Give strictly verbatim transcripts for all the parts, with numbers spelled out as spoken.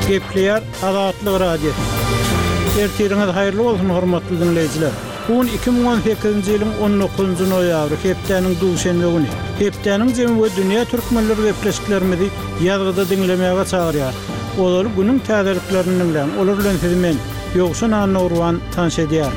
Gepleýär Azatlyk Radiosy. Ertiriňiz haýyrly bolsun hormatly dinleýjiler. Bu gün iki müň on sekizinji ýylyň on dokuzynjy noýabry, hepdäniň duşenbe güni. Hepdäniň jemi we dünýä türkmenleri gepleşiklerimizi ýazgyda diňlemäge çagyrýar. Ozaly günüň täzeliklerini diňläň. Olar bilen sizi men Ýowşan Annagurban tanyş edýär.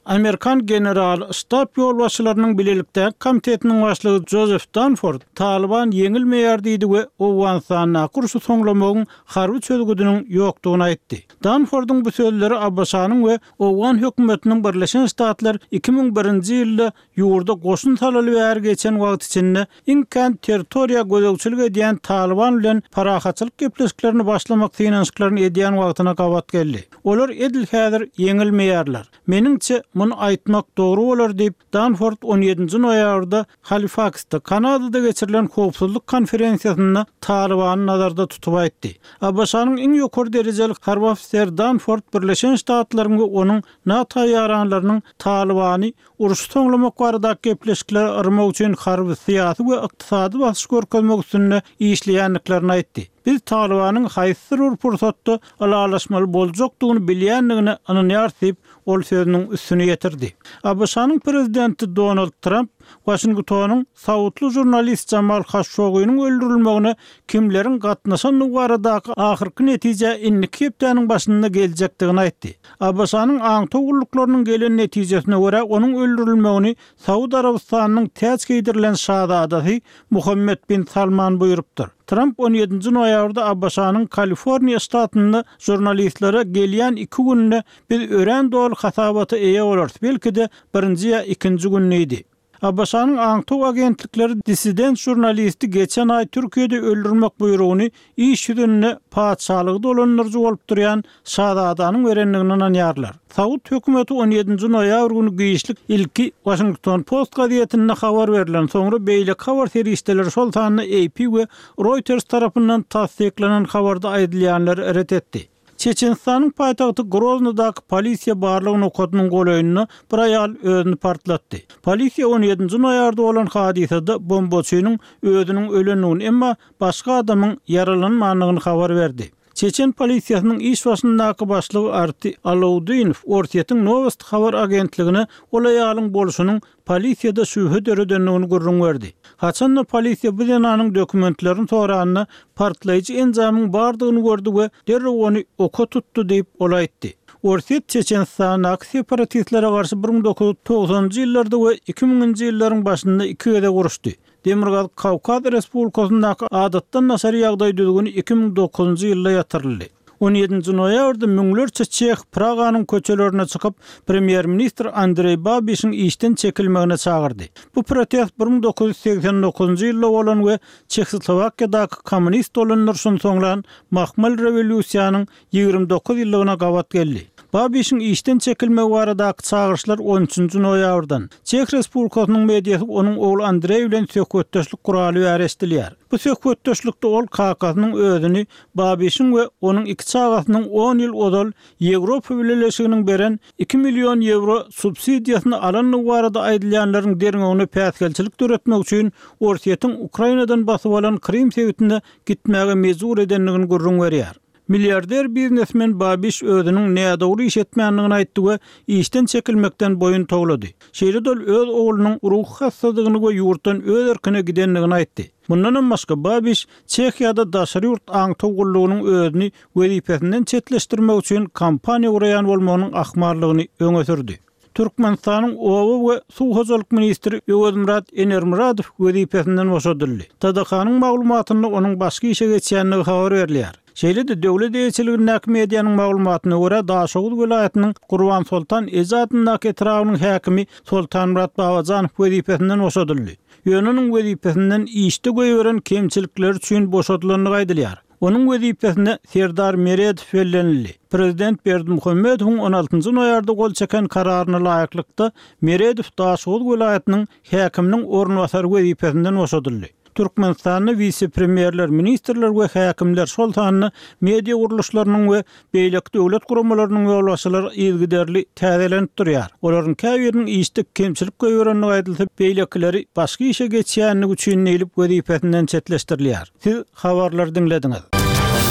Amerikan general ştab ýolbaşçylarynyň bilelikdäki komitetiniň başlygy Joseph Dunford Taliban ýeňilmeýär diýdi we Owganystandaky urşy soňlamagyň harby çözgüdiniň ýokdugyny aýtdy. Dunfordyň bu sözleri ABŞ-nyň we Owgan hökümetiniň Birleşen Ştatlar iki müň birinji ýylda ýurda goşun salaly bäri geçen wagt içinde iň kän territoriýa gözegçilik edýän Taliban bilen parahatçylyk gepleşiklerini başlamak synanyşyklaryny edýän wagtyna gabat geldi. Olar edil häzir ýeňilmeýärler. Meniňçe muny aýtmak dogry bolar diýip Dunford on ýedinji noýabrda Halifaksda Kanadada geçirilen howpsuzlyk konferensiýasynda Talibany nazarda tutup aýtdy. ABŞ-nyň iň ýokary derejeli harby ofiser Dunford Birleşen Ştatlaryň we onuň NATO ýaranlarynyň Talibany uruş soňlamak baradaky gepleşikleri yrmak üçin harby, syýasy we ykdysady basyş görkezmek üstünde işleýändiklerini aýtdy. Biz Talibanyň haýsydyr bir pursatda ylalaşmaly boljakdygyny bilýändigine ynanýarys diýip, ol sözüniň üstüne ýetirdi. ABŞ-nyň prezidenti Donald Trump Washingtonyň saudly žurnalist Jamal Khashoggi'niň öldürilmegine kimleriň gatnaşandygy baradaky ahyrky netije indiki hepdäniň başynda geljekdigini aýtdy. ABŞ-nyň aňtaw gulluklarynyň gelen netijesine görä onuň öldürilmegini Saud Arabystanynyň täç geýdirilen şazadasy Muhammed bin Salman buýrupdyr. Trump on ýedinji noýabrda ABŞ-nyň Kaliforniýa ştatynda žurnalistlere gelýän iki günde biz örän doly hasabata eýe bolarys, belki-de birinji ýa ikinji gün diýdi. ABŞ-nyň aňtaw agentlikleri dissident žurnalisti geçen aý Türkiýede öldürmek buýrugyny iş ýüzünde patyşalygy dolandyryjy bolup durýan şazadanyň berendigini ynanýarlar. Saud hökümeti on ýedinji noýabr günü giçlik ilki Washington Post gazetinde habar berlen, soňra beýleki habar serişdeleri şol sanda A P we Reuters tarapyndan tassyklanan habarda aýdylýanlary ret etdi. Çeçenistanyň paýtagty Groznydaky polisiýa barlyk nokadynyň golaýynda bir aýal özüni partlatdy. Polisiýa on ýedinji noýabrda bolan hadysada bombaçynyň özüniň ölendigini, emma başga adamyň ýaralanmandygyny habar berdi. Çeçen polisiýasynyň iş başyndaky başlygy Arti Alauddinow Orsýetiň Novosti habar agentligine ol aýalyň bolşunyň polisiýada şübhe döredendigini gürrüň berdi. Haçanda polisiýa bu zenanyň dokumentlerini soranda partlaýjy enjamyň bardygyny gördi we derrew ony oka tutdy diýip ol aýtdy. Orsýet Çeçenistandaky separatistlere garşy bir müň dokuz ýüz togsanynjy ýyllarda we iki müňünji ýyllaryň başynda iki gezek uruşdy. Demirgazyk Kawkaz Respublikasyndaky adatdan daşary ýagdaý düzgüni iki müň dokuzynjy ýylda ýatyryldy. On ýedinji noýabrda müňlerçe Çeh Praganyň köçelerine çykyp, premýer-ministr Andreý Babişiň işden çekilmegine çagyrdy. Bu protest bir müň dokuz ýüz segsen dokuzynjy ýylda bolan we Çehoslowakiýadaky kommunist dolandyryşyny soňlan Mahmal rewolýusiýanyň ýigrimi dokuz ýyllygyna gabat geldi. Babişiň işden çekilmegi baradaky çagyryşlar on üçünji noýabrdan Çeh Respublikasynyň mediasy onuň ogly Andreý bilen söhbetdeşlik guraly bäri eşidilýär. Bu söhbetdeşlikde ol kakasynyň özüni Babişiň we onuň iki çagasynyň on ýyl ozal Ýewropa Bileleşiginiň beren iki million ýewro subsidiýasyny alandygy barada aýdylýanlaryň derňewine päsgelçilik döretmek üçin Orsýetiň Ukrainadan basyp alan Krym sebitine gitmäge mejbur edendigini gürrüň berýär. Milliarder biznesmen Babiş özüniň nädogry iş etmändigini aýtdy we işden çekilmekden boýun towlady. Şeýle-de ol öz oglunyň ruhy hassadygyny we ýurtdan öz erkine gidendigini aýtdy. Mundanam başga Babiş Çehiýada daşary ýurt aňtaw gullugynyň özüni wezipesinden çetleşdirmek üçin kampaniýa guraýan bolmagynyň ahmallygyny öňe sürdi. Türkmenistanyň oba we suw hojalyk ministri Öwezmyrat Enermyradow wezipesinden boşadyldy. T D K-nyň maglumatynda onuň başga işe geçýändigi habar berilýär. Şeýle-de döwlet eýeçiligindäki medianyň maglumatyna görä Daşoguz welaýatynyň Gurban Soltan eje adyndaky etrabynyň häkimi Soltanmyrat Babajanow wezipesinden boşadyldy. Ýöne onuň wezipesinden işde goýberen kemçilikleri üçin boşadylandygy aýdylýar. Onuň wezipesine Serdar Meredow bellenildi. Prezident Berdimuhamedowyň on altynjy noýabrda gol çeken kararyna laýyklykda Meredow Daşoguz welaýatynyň häkiminiň orunbasary wezipesinden boşadyldy. Türkmenistanda wise-premýerler, ministrler we häkimler, şol sanda media gurluşlarynyň we beýleki döwlet guramalarynyň ýolbaşçylary yzygiderli täzelenip durýar. Olaryň käbiriniň işde kemçilik goýberendigi aýdylsa, beýlekileri başga işe geçýändigi üçin diýlip wezipesinden çetleşdirilýär. Siz habarlary diňlediňiz.